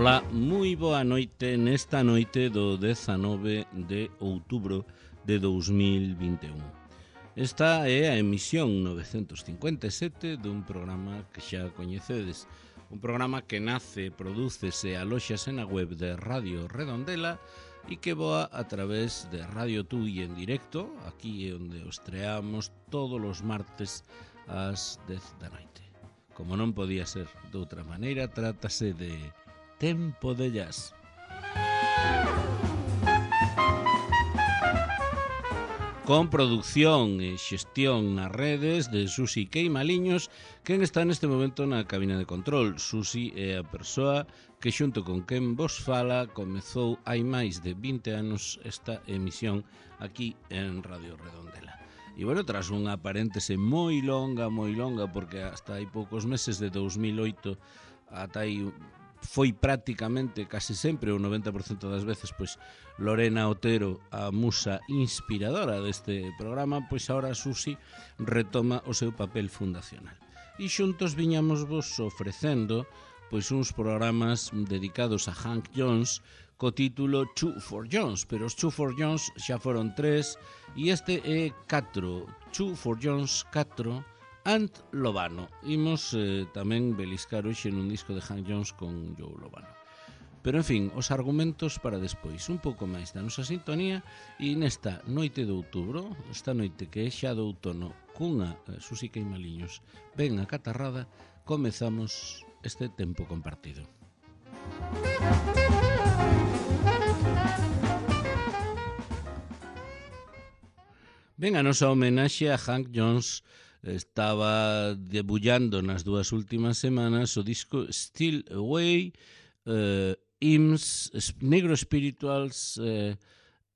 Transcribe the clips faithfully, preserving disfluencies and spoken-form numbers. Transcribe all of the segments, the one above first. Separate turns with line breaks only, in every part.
Ola, moi boa noite nesta noite do dezanove de outubro de dous mil vinte e un. Esta é a emisión novecentos cincuenta e sete dun programa que xa coñecedes, un programa que nace, prodúcese e alóxase na web de Radio Redondela e que voa a través de Radio Tui en directo, aquí é onde os estreamos todos os martes ás dez da noite. Como non podía ser de outra maneira, trátase de Tempo de Jazz. Con producción e xestión nas redes de Susi Queimaliños, quen está neste momento na cabina de control. Susi é a persoa que xunto con quen vos fala comezou hai máis de vinte anos esta emisión aquí en Radio Redondela. E, bueno, tras unha paréntese moi longa, moi longa, porque hasta hai poucos meses de dous mil oito ata aí foi prácticamente, case sempre, o noventa por cento das veces, pois Lorena Otero, a musa inspiradora deste programa, pois agora Susi retoma o seu papel fundacional. E xuntos viñamos vos ofrecendo pois uns programas dedicados a Hank Jones co título Two for Jones, pero os Two for Jones xa foron tres e este é catro, Two for Jones catro, and Lobano. Imos eh, tamén beliscar hoxe nun disco de Hank Jones con Joe Lobano. Pero, en fin, os argumentos para despois, un pouco máis da nosa sintonía, e nesta noite de outubro, esta noite que é xa do outono, cunha eh, Susi Queimaliños ben acatarrada, comezamos este tempo compartido. Ben, a nosa homenaxe a Hank Jones estaba debullando nas dúas últimas semanas o disco Still Away, uh, Hymns, Negro Spirituals, uh,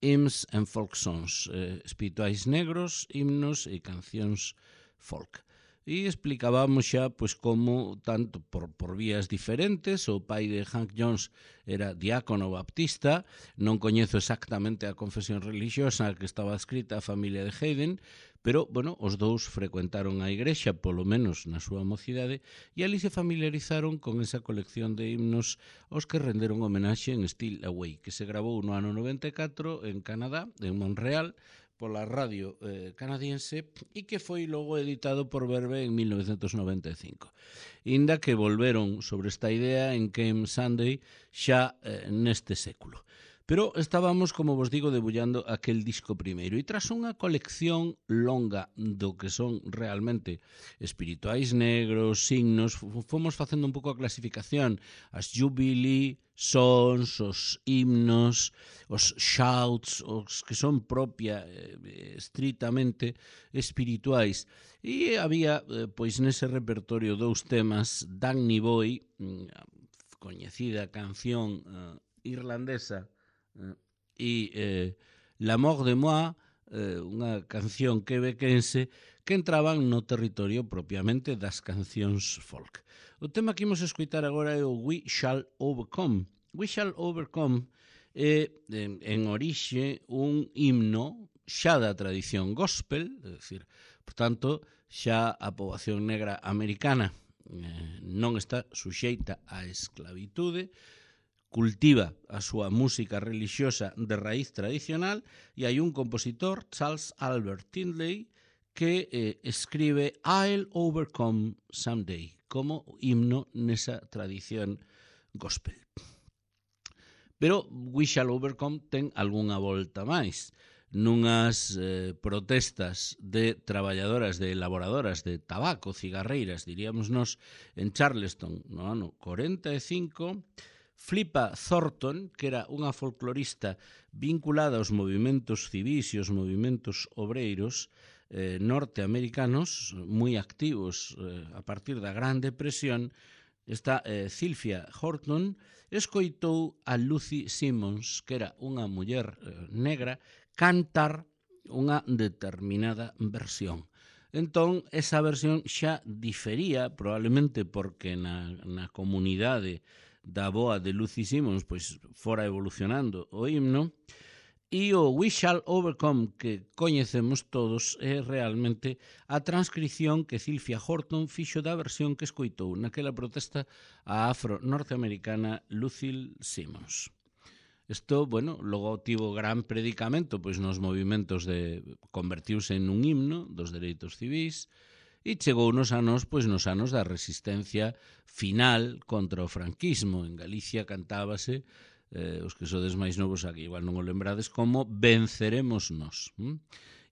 Hymns and Folk Songs, uh, espirituais negros, himnos e cancións folk. E explicábamos xa pois como, tanto por, por vías diferentes, o pai de Hank Jones era diácono baptista, non coñezo exactamente a confesión religiosa que estaba escrita a familia de Hayden, pero, bueno, os dous frecuentaron a igrexa, polo menos na súa mocidade, e ali se familiarizaron con esa colección de himnos aos que renderon homenaxe en Still Away, que se grabou no ano noventa e catro en Canadá, en Montreal, pola radio eh, canadiense e que foi logo editado por Verve en mil novecentos noventa e cinco. Inda que volveron sobre esta idea en Came Sunday xa eh, neste século. Pero estábamos, como vos digo, debullando aquel disco primeiro. E tras unha colección longa do que son realmente espirituais negros, signos, fomos facendo un pouco a clasificación, as jubilee, sons, os himnos, os shouts, os que son propia, eh, estritamente espirituais. E había, eh, pois, nese repertorio dous temas, Danny Boy, coñecida canción eh, irlandesa, e eh, L'Amour de Moi, eh, unha canción quebequense que entraban no territorio propiamente das cancións folk. O tema que imos escoitar agora é o We Shall Overcome. We Shall Overcome é, en, en orixe, un himno xa da tradición gospel, é dicir, por tanto, xa a poboación negra americana eh, non está suxeita á esclavitude, cultiva a súa música religiosa de raíz tradicional e hai un compositor, Charles Albert Tindley, que eh, escribe I'll Overcome Someday como himno nesa tradición gospel. Pero We Shall Overcome ten algunha volta máis. Nunhas eh, protestas de traballadoras, de elaboradoras de tabaco, cigarreiras, diríamos nós, en Charleston, no ano corenta e cinco, Flippa Thornton, que era unha folclorista vinculada aos movimentos civis e aos movimentos obreiros eh, norteamericanos, moi activos eh, a partir da Gran Depresión, esta eh, Sylvia Horton escoitou a Lucy Simmons, que era unha muller eh, negra, cantar unha determinada versión. Entón, esa versión xa difería, probablemente porque na, na comunidade da boa de Lucy Simmons pois fora evolucionando o himno, E o We Shall Overcome que coñecemos todos é realmente a transcrición que Sylvia Horton fixo da versión que escoitou naquela protesta a afro-norteamericana Lucille Simmons. Isto, bueno, logo tivo gran predicamento pois nos movimentos de convertiuse en un himno dos dereitos civis e chegou nos anos, pois nos anos da resistencia final contra o franquismo. En Galicia cantábase, eh, os que sodes máis novos aquí igual non o lembrades, como Venceremos Nos. Hm?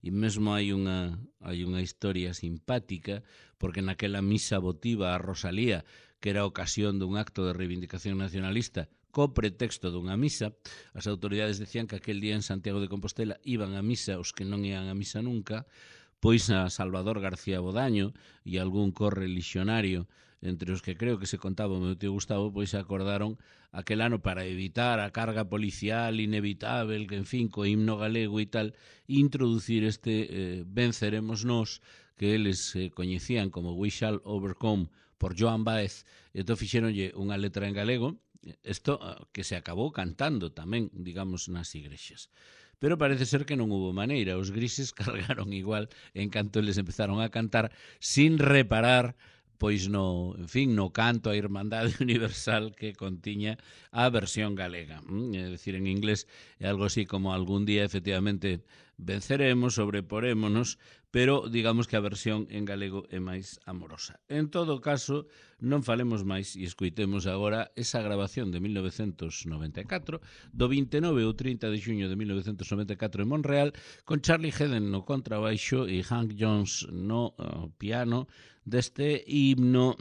E mesmo hai unha, hai unha historia simpática, porque naquela misa votiva a Rosalía, que era a ocasión dun acto de reivindicación nacionalista, co pretexto dunha misa, as autoridades decían que aquel día en Santiago de Compostela iban a misa os que non ian a misa nunca, pois a Salvador García Bodaño e algún correligionario, entre os que creo que se contaba o meu tío Gustavo, pois se acordaron aquel ano para evitar a carga policial inevitable, que en fin, co himno galego e tal, introducir este eh, Venceremos Nos, que eles eh, coñecían como We Shall Overcome por Joan Baez, e entón fixeronlle unha letra en galego, isto que se acabou cantando tamén, digamos, nas igrexas. Pero parece ser que non hubo maneira, os grises cargaron igual en canto eles empezaron a cantar sin reparar pois no, en fin, no canto a Irmandade Universal que contiña a versión galega. É dicir, en inglés é algo así como algún día efectivamente venceremos, sobreporémonos, pero digamos que a versión en galego é máis amorosa. En todo caso, non falemos máis e escoitemos agora esa grabación de mil novecentos noventa e catro, do vinte e nove ou trinta de xuño de mil novecentos noventa e catro en Montreal, con Charlie Haden no contrabaixo e Hank Jones no uh, piano, deste himno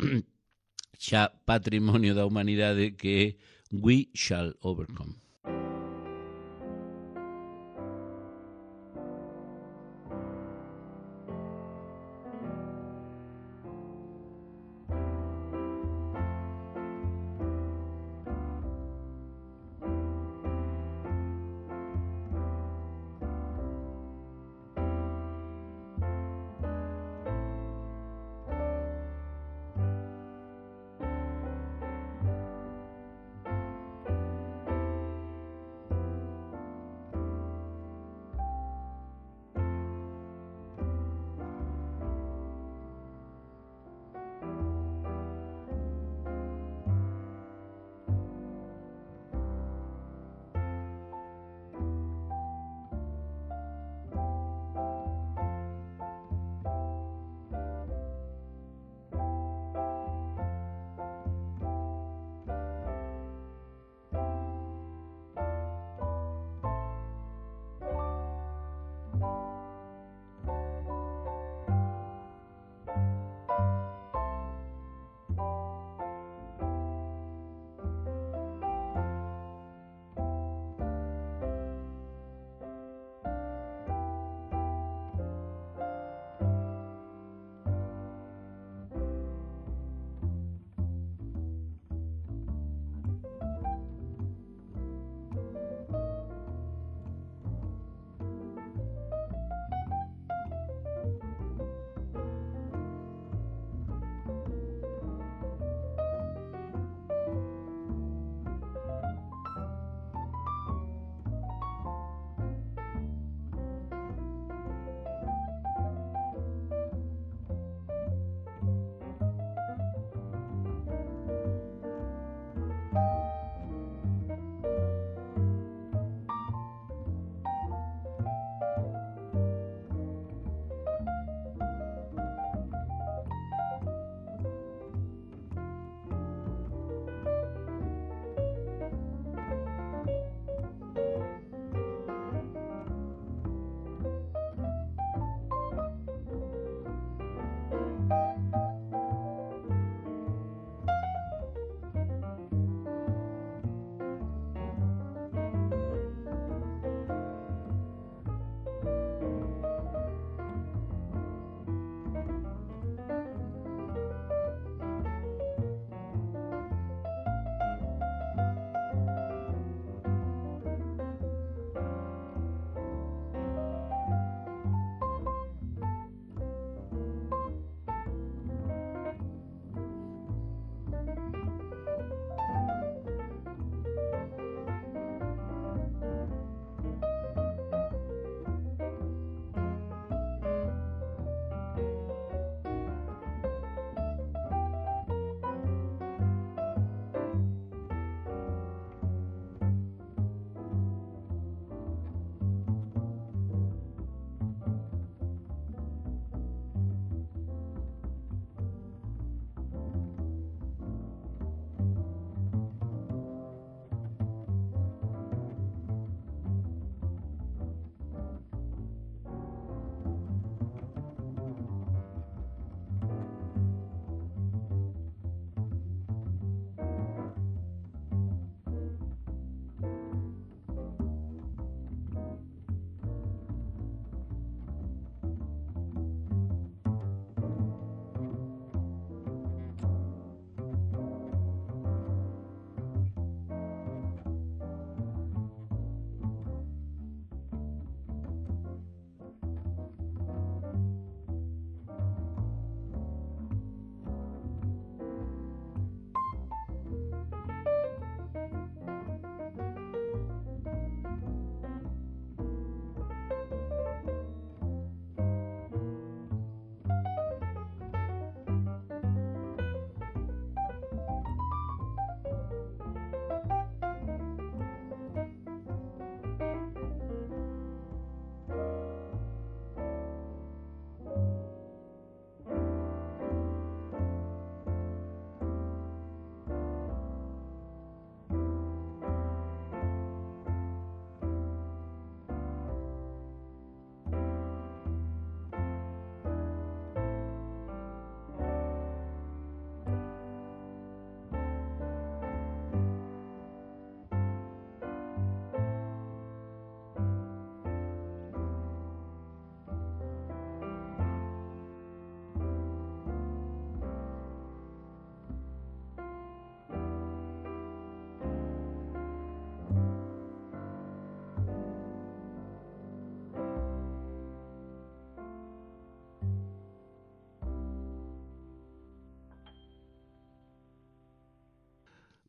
xa patrimonio da humanidade que é We Shall Overcome.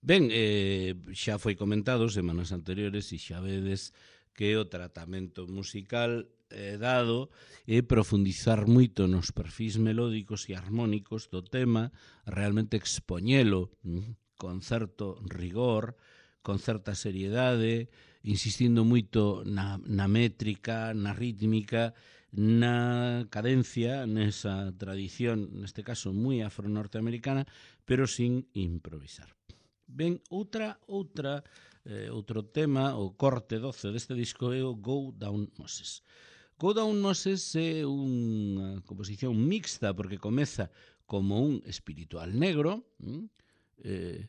Ben, eh, xa foi comentado semanas anteriores e xa vedes que o tratamento musical eh, dado é profundizar moito nos perfis melódicos e armónicos do tema, realmente expoñelo mm, con certo rigor, con certa seriedade, insistindo moito na, na métrica, na rítmica, na cadencia, nesa tradición, neste caso moi afro-norteamericana, pero sin improvisar. Ben, outra, outra, eh, outro tema, o corte doce deste disco é o Go Down Moses. Go Down Moses é unha composición mixta porque comeza como un espiritual negro, eh,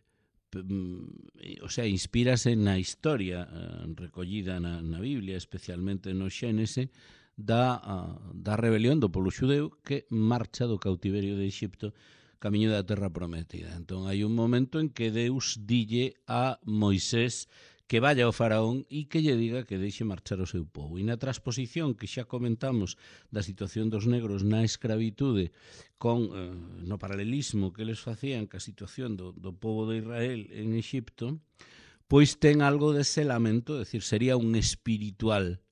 o sea, inspírase na historia eh, recollida na, na Biblia, especialmente no Xénese, da, uh, da rebelión do pobo xudeu que marcha do cautiverio de Egipto camiño da terra prometida. Entón, hai un momento en que Deus dille a Moisés que vaya ao faraón e que lle diga que deixe marchar o seu povo. E na transposición que xa comentamos da situación dos negros na escravitude con eh, no paralelismo que eles facían ca situación do, do povo de Israel en Egipto, pois ten algo dese lamento, é dicir, sería un espiritual,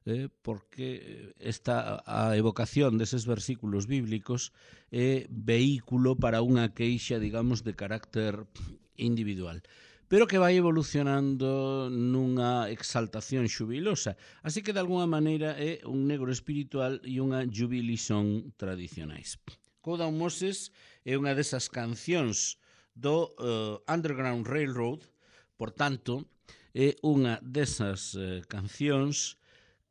eh, porque esta a evocación deses versículos bíblicos é vehículo para unha queixa, digamos, de carácter individual, pero que vai evolucionando nunha exaltación xubilosa. Así que, de alguna maneira, é un negro espiritual e unha jubilisón tradicionais. Go Down Moses é unha desas cancións do uh, Underground Railroad, por tanto, é unha desas uh, cancións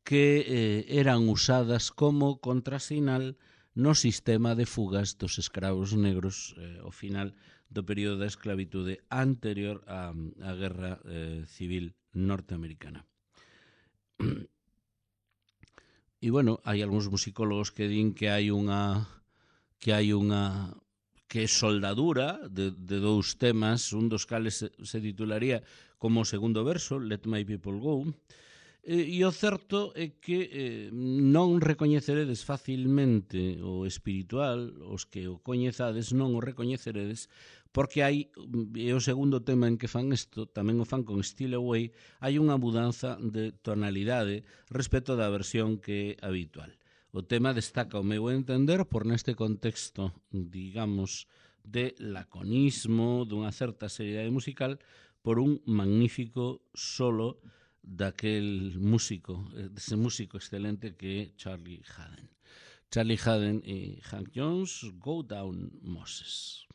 que eh, eran usadas como contrasinal no sistema de fugas dos escravos negros eh, ao final do período da esclavitude anterior á, á Guerra eh, Civil norteamericana. E, bueno, hai algúns musicólogos que din que hai unha que hai unha que é soldadura de, de dous temas, un dos cales se, se titularía como o segundo verso, Let My People Go. E o certo é que eh, non recoñeceredes facilmente o espiritual, os que o coñezades non o recoñeceredes, porque hai, e o segundo tema en que fan isto, tamén o fan con Steal Away, hai unha mudanza de tonalidade respecto da versión que é habitual. O tema destaca o meu entender por neste contexto, digamos, de laconismo, dunha certa seriedade musical, por un magnífico solo daquel músico, dese músico excelente que é Charlie Haden. Charlie Haden e Hank Jones, Go Down Moses.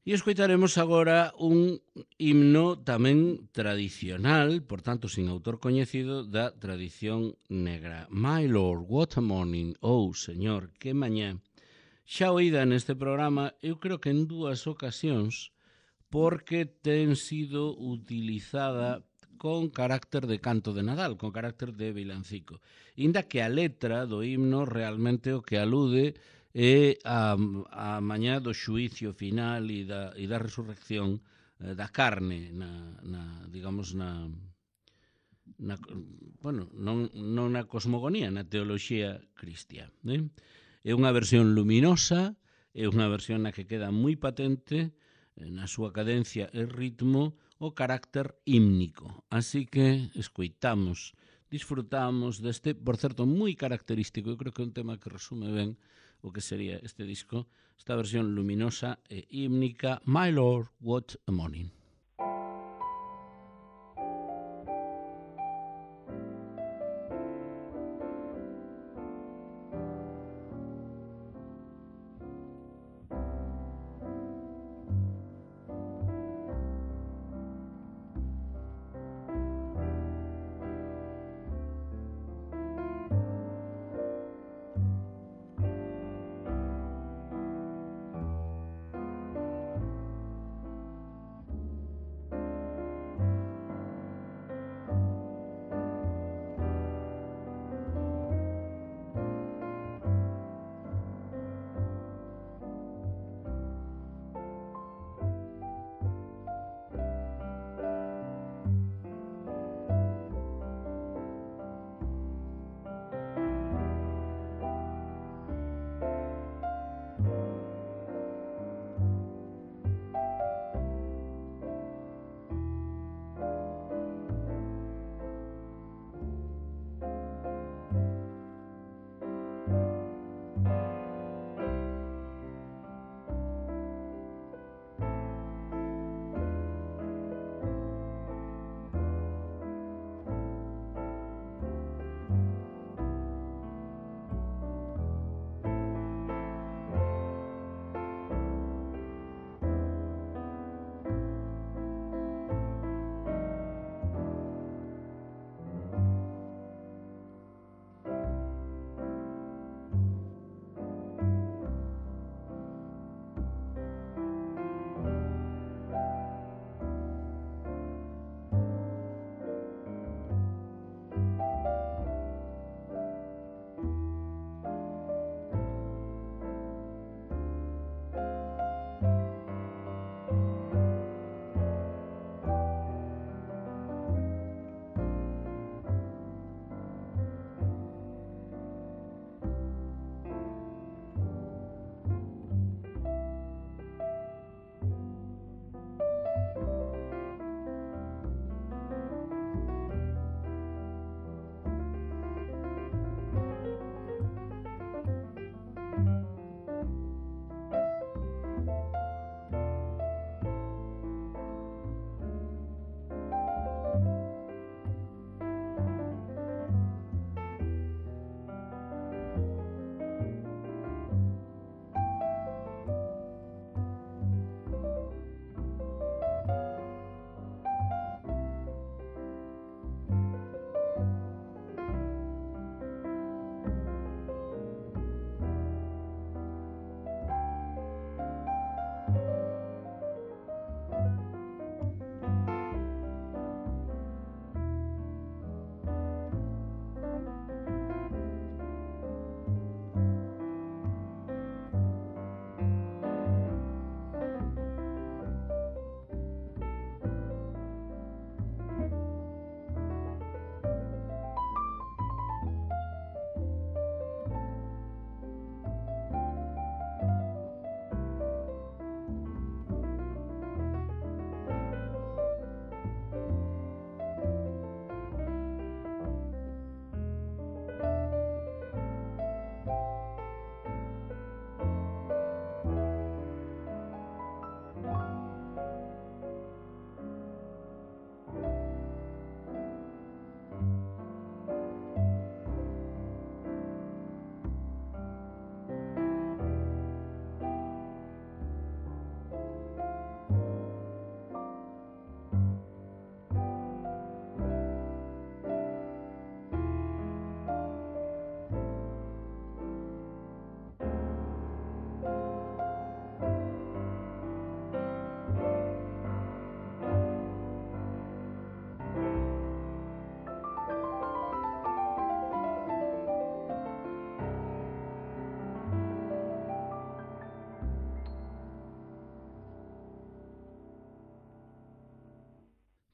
E escoitaremos agora un himno tamén tradicional, por tanto, sin autor coñecido, da tradición negra. My Lord, what a morning, oh, señor, que mañá. Xa oída neste programa, eu creo que en dúas ocasións, porque ten sido utilizada con carácter de canto de Nadal, con carácter de vilancico. Inda que a letra do himno realmente o que alude é a, a mañá do xuicio final e da, e da resurrección eh, da carne, na, na, digamos, na, na, bueno, non, non na cosmogonía, na teoloxía cristiá. Eh? É unha versión luminosa, é unha versión na que queda moi patente na súa cadencia e ritmo o carácter hímnico. Así que escoitamos, disfrutamos deste, por certo, moi característico, eu creo que é un tema que resume ben o que sería este disco, esta versión luminosa e hímnica, My Lord, What a Morning.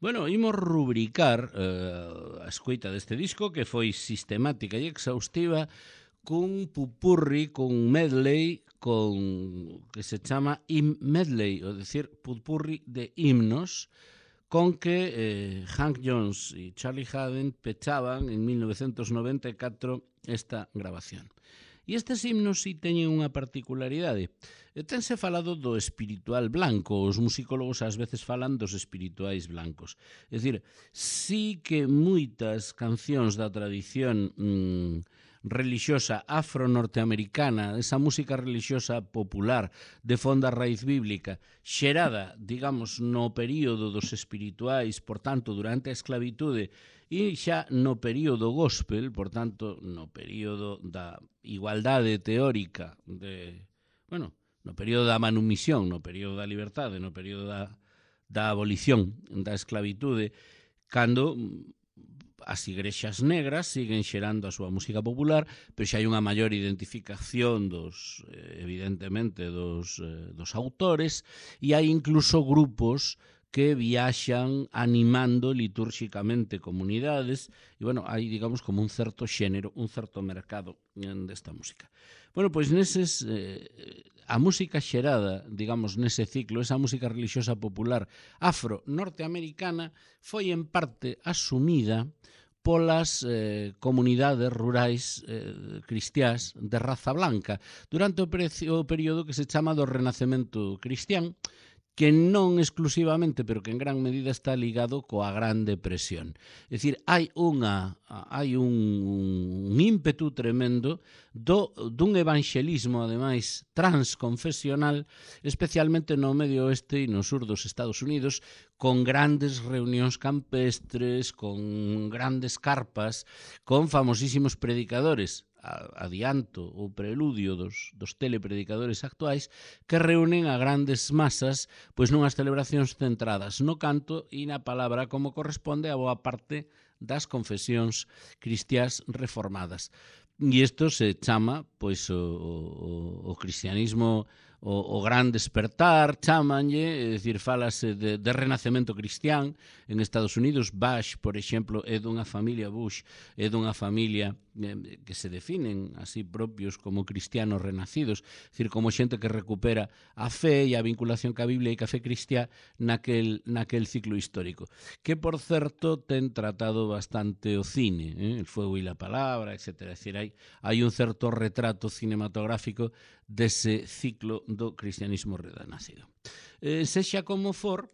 Bueno, imos rubricar eh, a escoita deste disco que foi sistemática e exhaustiva cun pupurri, cun medley, con que se chama Hymn Medley, ou decir, pupurri de himnos, con que eh, Hank Jones e Charlie Haden pechaban en mil novecientos noventa e catro esta grabación. E estes himnos si teñen unha particularidade. Tense falado do espiritual blanco, os musicólogos ás veces falan dos espirituais blancos. É dicir, sí que moitas cancións da tradición mmm, religiosa afro-norteamericana, esa música religiosa popular de fonda raíz bíblica, xerada, digamos, no período dos espirituais, por tanto, durante a esclavitude, e xa no período gospel, por tanto, no período da igualdade teórica, de, bueno, no período da manumisión, no período da liberdade, no período da, da abolición da esclavitude, cando as igrexas negras siguen xerando a súa música popular, pero xa hai unha maior identificación dos, evidentemente, dos, dos autores, e hai incluso grupos que viaxan animando litúrxicamente comunidades, e, bueno, hai, digamos, como un certo xénero, un certo mercado desta música. Bueno, pois neses, eh, a música xerada, digamos, nese ciclo, esa música religiosa popular afro-norteamericana, foi en parte asumida polas eh, comunidades rurais eh, cristiás de raza blanca durante o, o período que se chama do Renacemento Cristián, que non exclusivamente, pero que en gran medida está ligado coa Gran Depresión. É dicir, hai unha hai un, un ímpetu tremendo do, dun evanxelismo, ademais, transconfesional, especialmente no medio oeste e no sur dos Estados Unidos, con grandes reunións campestres, con grandes carpas, con famosísimos predicadores, adianto o preludio dos, dos telepredicadores actuais, que reúnen a grandes masas pois nunhas celebracións centradas no canto e na palabra como corresponde a boa parte das confesións cristiás reformadas. E isto se chama pois o, o, o cristianismo, o, o gran despertar, chamanlle, é dicir, falase de, de renacemento cristián en Estados Unidos. Bush, por exemplo, é dunha familia Bush, é dunha familia eh, que se definen así propios como cristianos renacidos, é dicir, como xente que recupera a fe e a vinculación ca Biblia e ca fe cristiá naquel, naquel ciclo histórico, que, por certo, ten tratado bastante o cine, eh? El fuego e la palabra, etcétera. É dicir, hai, hai un certo retrato cinematográfico dese ciclo do cristianismo renacido. Eh, sexa como for,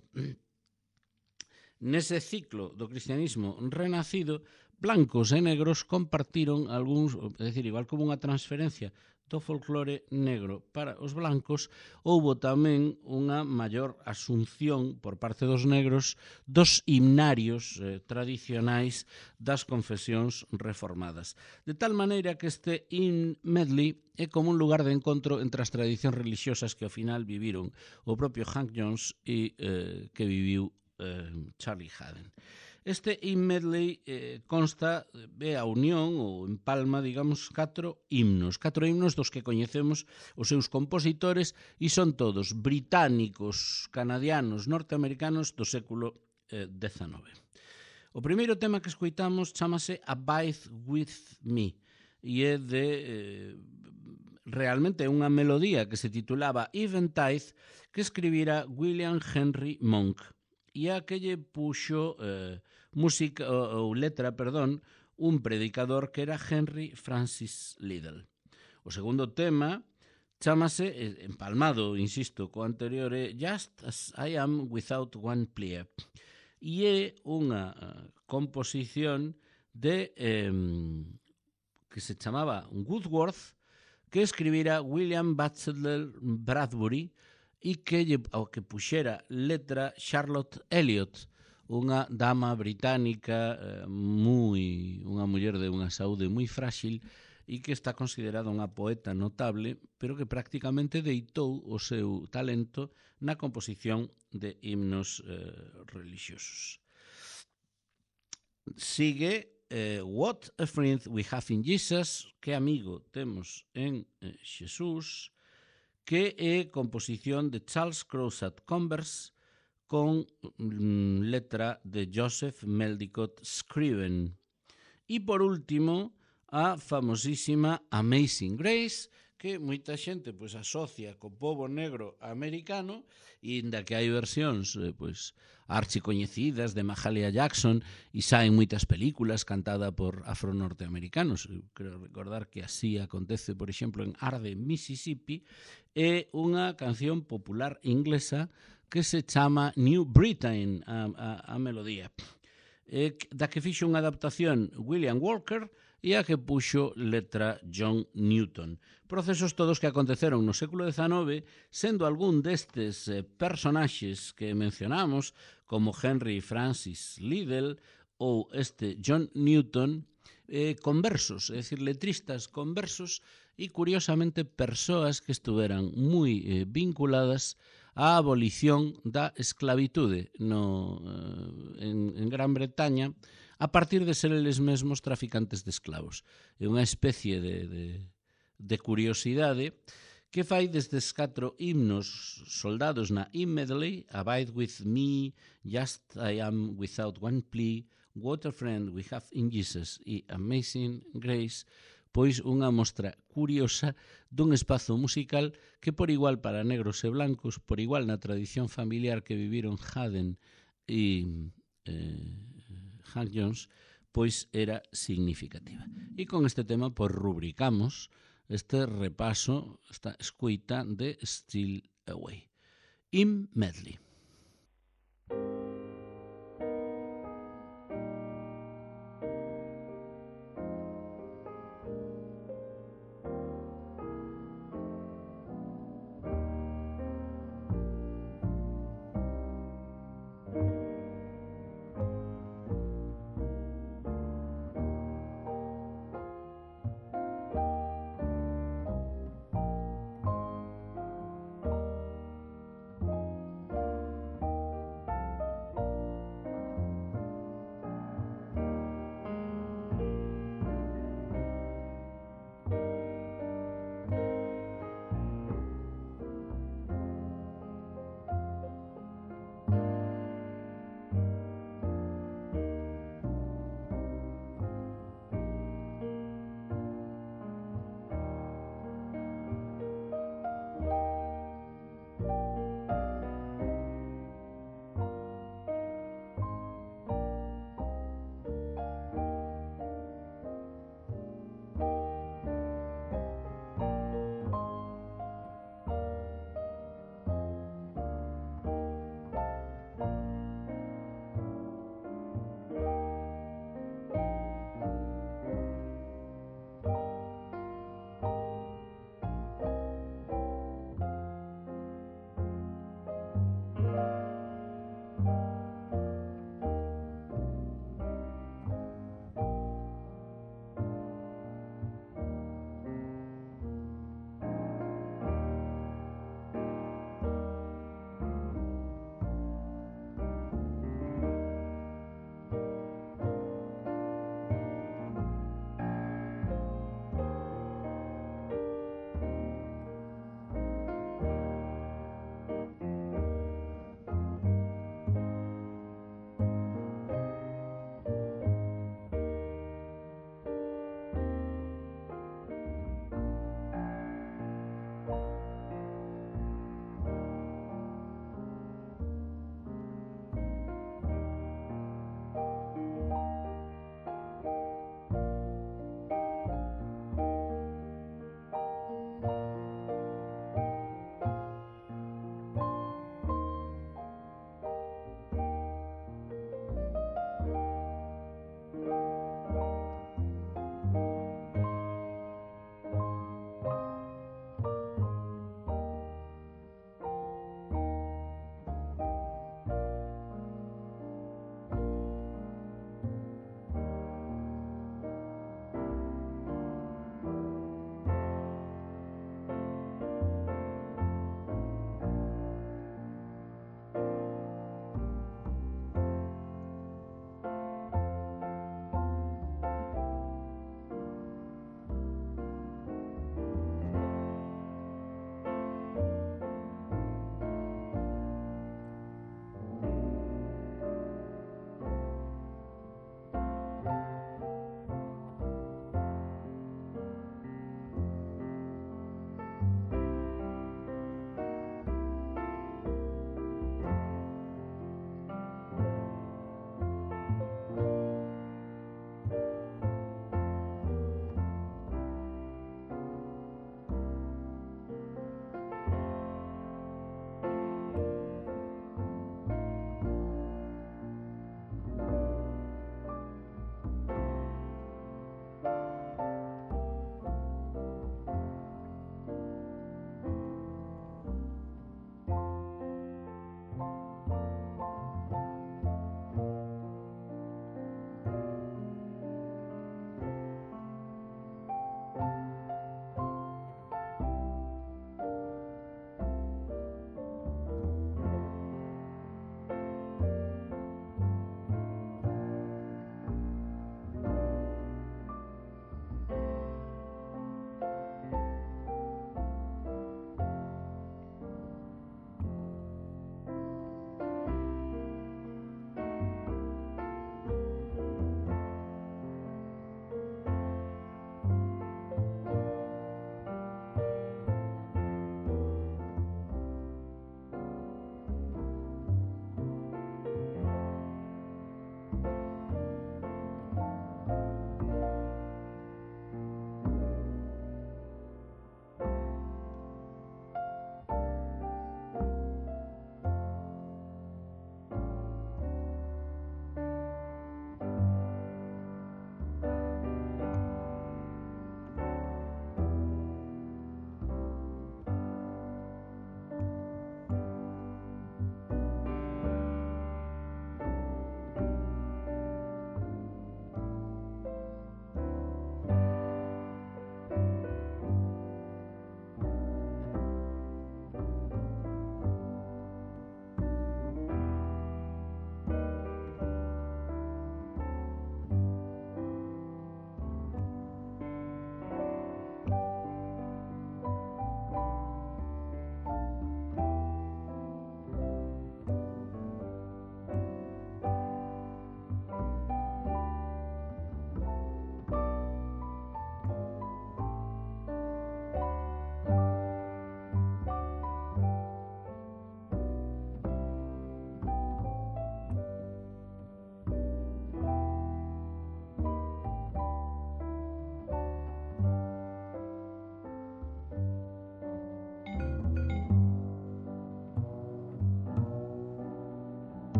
nese ciclo do cristianismo renacido, blancos e negros compartiron algúns, é dicir, igual como unha transferencia do folclore negro para os blancos, houbo tamén unha maior asunción por parte dos negros dos himnarios eh, tradicionais das confesións reformadas. De tal maneira que este hymn medley é como un lugar de encontro entre as tradicións religiosas que ao final viviron o propio Hank Jones e eh, que viviu eh, Charlie Haden. Este hymn medley eh, consta, é a unión ou empalma, digamos, catro himnos, catro himnos dos que coñecemos os seus compositores e son todos británicos, canadianos, norteamericanos do século eh, dezenove. O primeiro tema que escoitamos chamase Abide With Me e é de... Eh, realmente é unha melodía que se titulaba Eventide que escribira William Henry Monk e a que lle puxo eh, música ou, ou letra, perdón, un predicador que era Henry Francis Liddell. O segundo tema chámase, empalmado, insisto, co anterior, é Just As I Am Without One Plea e é unha uh, composición de eh, que se chamaba Woodworth, que escribira William Butler Bradbury e que, ao que puxera letra Charlotte Elliot, unha dama británica eh, moi, unha muller de unha saúde moi frágil e que está considerada unha poeta notable, pero que prácticamente deitou o seu talento na composición de himnos eh, religiosos. Sigue eh, What a Friend We Have in Jesus, que amigo temos en eh, Xesús, que é composición de Charles Crowsat Converse con mm, letra de Joseph Meldicott Scriven. E por último, a famosísima Amazing Grace, que moita xente pois asocia co pobo negro americano, e inda que hai versións eh, pois archicoñecidas de Mahalia Jackson e saen moitas películas cantada por afro-norteamericanos. Eu creo recordar que así acontece, por exemplo, en Arde, Mississippi, é unha canción popular inglesa que se chama New Britain, a, a, a melodía, e da que fixo unha adaptación William Walker e a que puxo letra John Newton. Procesos todos que aconteceron no século dezanove, sendo algún destes eh, personaxes que mencionamos, como Henry Francis Liddell ou este John Newton, eh, conversos, é dicir, letristas conversos e, curiosamente, persoas que estuveran moi eh, vinculadas á abolición da esclavitude no, eh, en, en Gran Bretaña, a partir de ser eles mesmos traficantes de esclavos. É unha especie de, de, de curiosidade que fai desdes catro himnos soldados na hymn medley, Abide with me, Just I am without one plea, What a friend we have in Jesus e Amazing Grace, pois unha mostra curiosa dun espazo musical que por igual para negros e blancos, por igual na tradición familiar que viviron Haden e eh, Hank Jones, pois era significativa. E con este tema pois rubricamos este repaso, esta escuita de Still Away. Hymn Medley.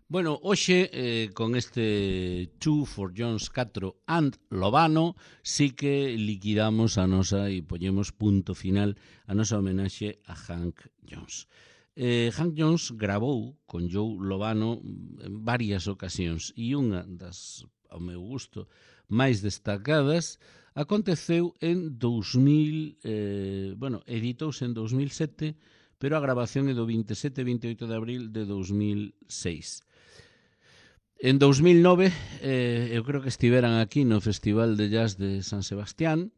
Bueno, hoxe, eh, con este two for Jones catro and Lobano, sí que liquidamos a nosa e poñemos punto final a nosa homenaxe a Hank Jones. Eh, Hank Jones gravou con Joe Lobano en varias ocasións e unha das, ao meu gusto, máis destacadas aconteceu en dous mil, eh, bueno, editouse en dous mil sete, pero a grabación é do veintisiete e veintioito de abril de dous mil seis. En dous mil nove, eh, eu creo que estiveran aquí no Festival de Jazz de San Sebastián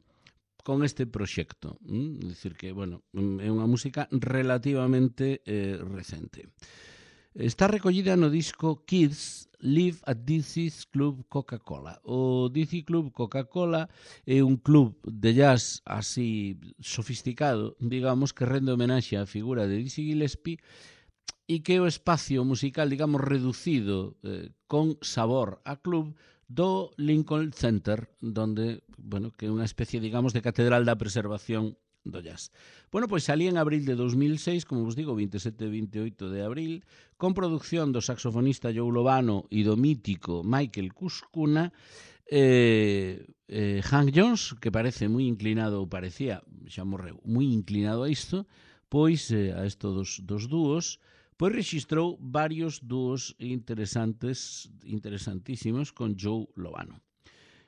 con este proxecto. Mm? É dicir que, bueno, é unha música relativamente eh, recente. Está recollida no disco Kids Live at D C's Club Coca-Cola. O D C Club Coca-Cola é un club de jazz así sofisticado, digamos, que rende homenaxe á figura de Dizzy Gillespie e que o espacio musical, digamos, reducido eh, con sabor a club do Lincoln Center, donde, bueno, que é unha especie, digamos, de catedral da preservación do jazz. Bueno, pois salí en abril de dous mil seis, como vos digo, veintisiete e veintioito de abril, con producción do saxofonista Joe Lobano e do mítico Michael Cuscuna, eh, eh, Hank Jones, que parece moi inclinado, ou parecía, xa morreu, moi inclinado a isto, pois eh, a isto dos, dos dúos, pois registrou varios dúos interesantes, interesantísimos con Joe Lobano.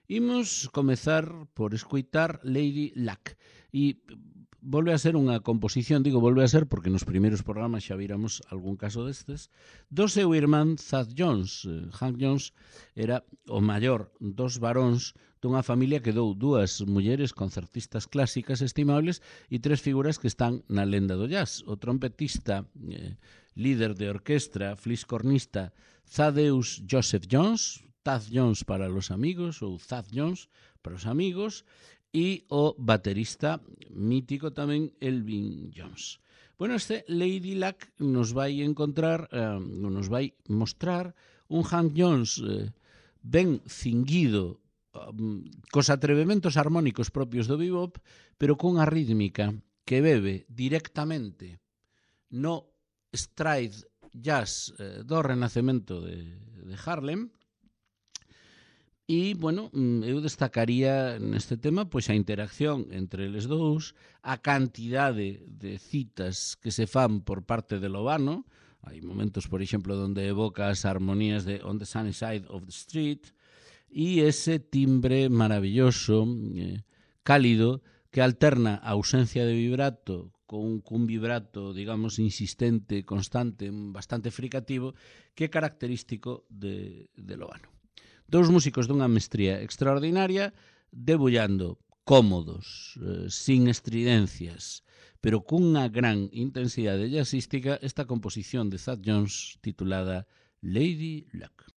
Imos comezar por escoitar Lady Luck. E volve a ser unha composición, digo volve a ser porque nos primeiros programas xa viramos algún caso destes, do seu irmán Thad Jones. Hank Jones era o maior dos varóns dunha familia que dou dúas mulleres concertistas clásicas estimables e tres figuras que están na lenda do jazz. O trompetista, eh, líder de orquestra, fliscornista Thaddeus Joseph Jones, Thad Jones para los amigos ou Thad Jones para os amigos, e o baterista mítico tamén Elvin Jones. Bueno, este Lady Luck nos vai encontrar, eh, nos vai mostrar un Hank Jones eh, ben cinguido, um, cos atrevementos armónicos propios do bebop, pero cunha rítmica que bebe directamente no stride jazz eh, do renacemento de, de Harlem. E, bueno, eu destacaría neste tema pois a interacción entre eles dous, a cantidade de citas que se fan por parte de Lobano. Hai momentos, por exemplo, onde evoca as armonías de On the Sunny Side of the Street e ese timbre maravilloso, eh, cálido, que alterna a ausencia de vibrato con un vibrato, digamos, insistente, constante, bastante fricativo, que é característico de, de Lobano. Dous músicos dunha mestría extraordinaria, debullando cómodos, eh, sin estridencias, pero cunha gran intensidade jazzística, esta composición de Thad Jones titulada Lady Luck.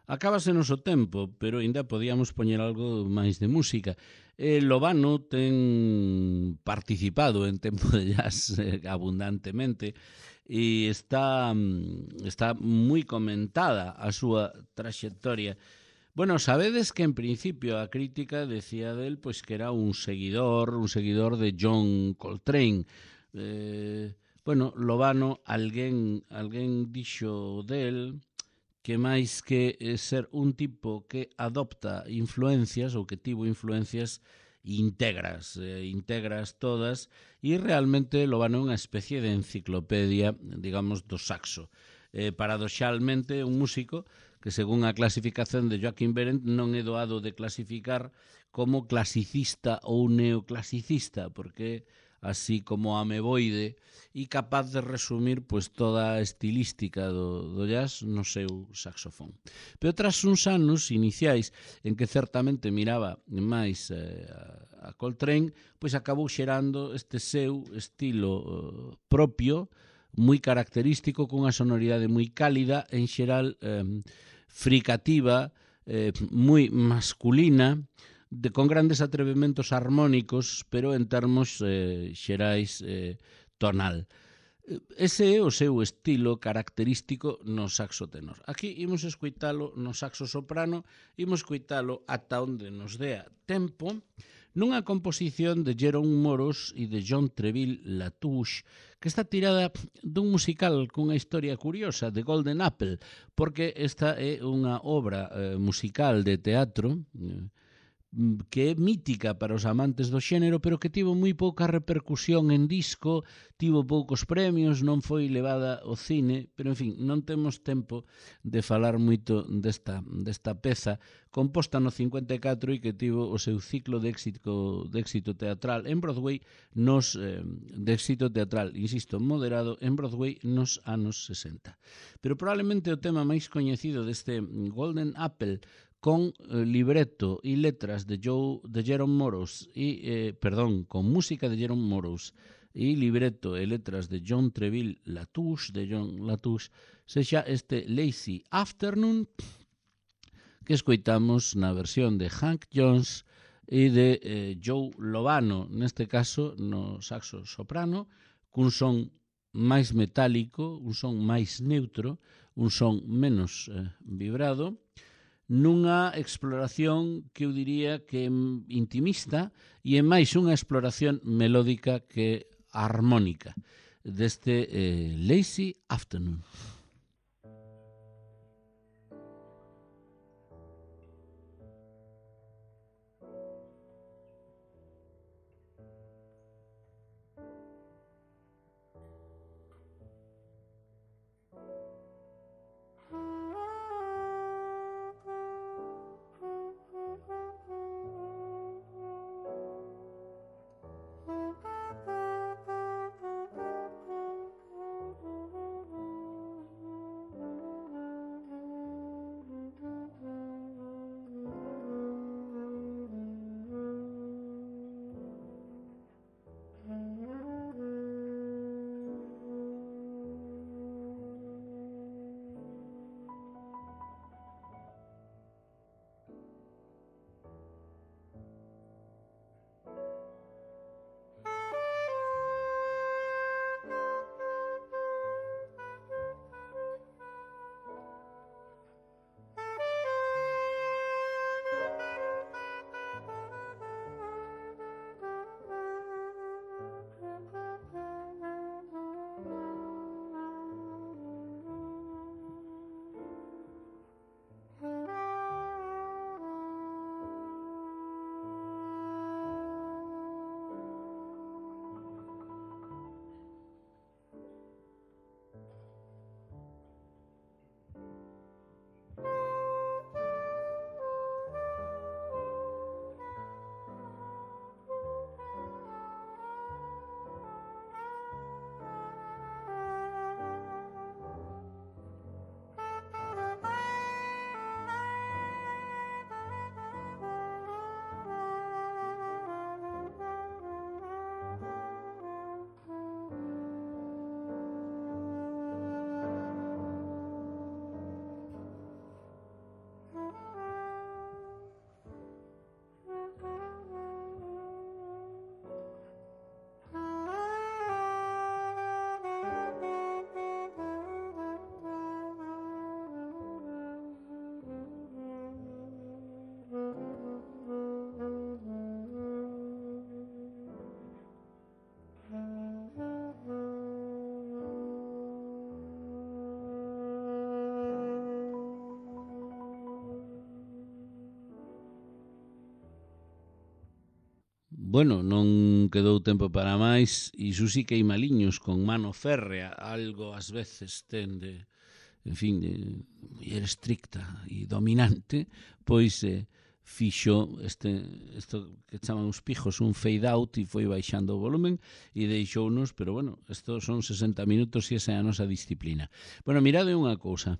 Acábase noso tempo, pero ainda podíamos poñer algo máis de música. Eh, Lobano ten participado en Tempo de Jazz eh, abundantemente e está, está moi comentada a súa traxectoria. Bueno, sabedes que en principio a crítica decía del pois que era un seguidor, un seguidor de John Coltrane. Eh, bueno, Lobano, alguén, alguén dixo del que máis que ser un tipo que adopta influencias ou que tivo influencias integras, eh, integras todas e realmente Lobano é unha especie de enciclopedia, digamos, do saxo. Eh, paradoxalmente, un músico que según a clasificación de Joaquín Berendt non é doado de clasificar como clasicista ou neoclasicista, porque así como ameboide e capaz de resumir pois toda a estilística do, do jazz no seu saxofón. Pero tras uns anos iniciais en que certamente miraba máis eh, a Coltrane, pois acabou xerando este seu estilo eh, propio, moi característico, cunha sonoridade moi cálida, en xeral eh, fricativa, eh, moi masculina, de, con grandes atrevementos armónicos, pero en termos eh, xerais eh, tonal. Ese é o seu estilo característico no saxo tenor. Aquí imos escoitalo no saxo soprano, imos escoitalo ata onde nos dea tempo, nunha composición de Jerome Morros e de John Treville Latouche, que está tirada dun musical cunha historia curiosa, de Golden Apple, porque esta é unha obra eh, musical de teatro eh, que é mítica para os amantes do xénero, pero que tivo moi pouca repercusión en disco, tivo poucos premios, non foi levada ao cine, pero en fin, non temos tempo de falar moito desta, desta peza composta no cincuenta e catro e que tivo o seu ciclo de éxito, de éxito teatral en Broadway, nos, eh, de éxito teatral, insisto, moderado en Broadway nos anos sesenta. Pero probablemente o tema máis coñecido deste Golden Apple, con eh, libreto e letras de, Joe, de Jerome Morros e, eh, perdón, con música de Jerome Morros e libreto e letras de John Treville Latouche, de John Latouche, sexa este Lazy Afternoon que escoitamos na versión de Hank Jones e de eh, Joe Lobano, neste caso no saxo soprano, cun son máis metálico, un son máis neutro, un son menos eh, vibrado, nunha exploración que eu diría que é intimista e é máis unha exploración melódica que armónica deste eh, Lazy Afternoon. bueno, non quedou tempo para máis, e iso sí que hai maliños con mano férrea, algo ás veces ten de, en fin, de muller estricta e dominante, pois eh, fixo este, isto que chaman os pijos un fade out e foi baixando o volumen e deixounos, pero bueno, isto son sesenta minutos e esa é a nosa disciplina. Bueno, mirade unha cousa.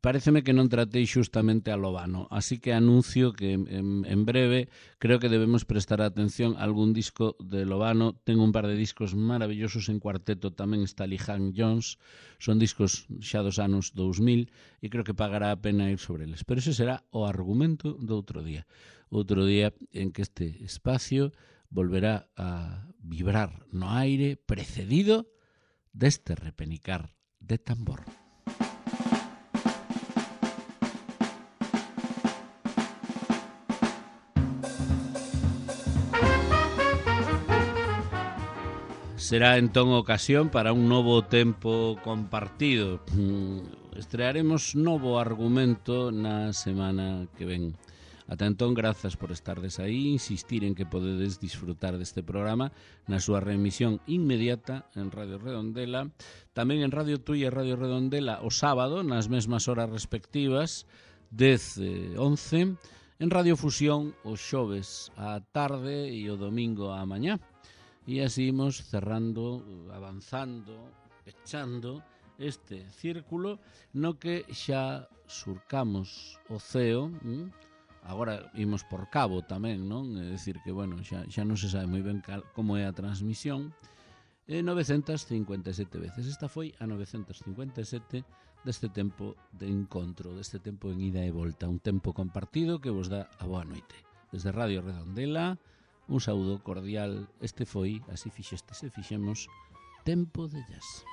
Paréceme que non tratei xustamente a Lobano, así que anuncio que en, en breve creo que debemos prestar atención a algún disco de Lobano. Ten un par de discos maravillosos en cuarteto, tamén está Lee Hank Jones, son discos xa dos anos dous mil e creo que pagará a pena ir sobre eles, pero ese será o argumento do outro día, outro día en que este espacio volverá a vibrar no aire precedido deste repenicar de tambor. Será entón ocasión para un novo tempo compartido. Estrearemos novo argumento na semana que ven. Ata entón, grazas por estardes aí, insistir en que podedes disfrutar deste programa na súa reemisión inmediata en Radio Redondela, tamén en Radio Tui e Radio Redondela o sábado, nas mesmas horas respectivas, dez e once, en Radio Fusión os xoves á tarde e o domingo á mañá. E así imos cerrando, avanzando, pechando este círculo no que xa surcamos o ceo. ¿m? Agora imos por cabo tamén, non? É dicir que, bueno, xa, xa non se sabe moi ben cal, como é a transmisión. E novecentas cincuenta e sete veces. Esta foi a novecentas cincuenta e sete deste tempo de encontro, deste tempo en ida e volta. Un tempo compartido que vos dá a boa noite. Desde Radio Redondela, un saúdo cordial. Este foi, así fixestes e fixemos, Tempo de Jazz.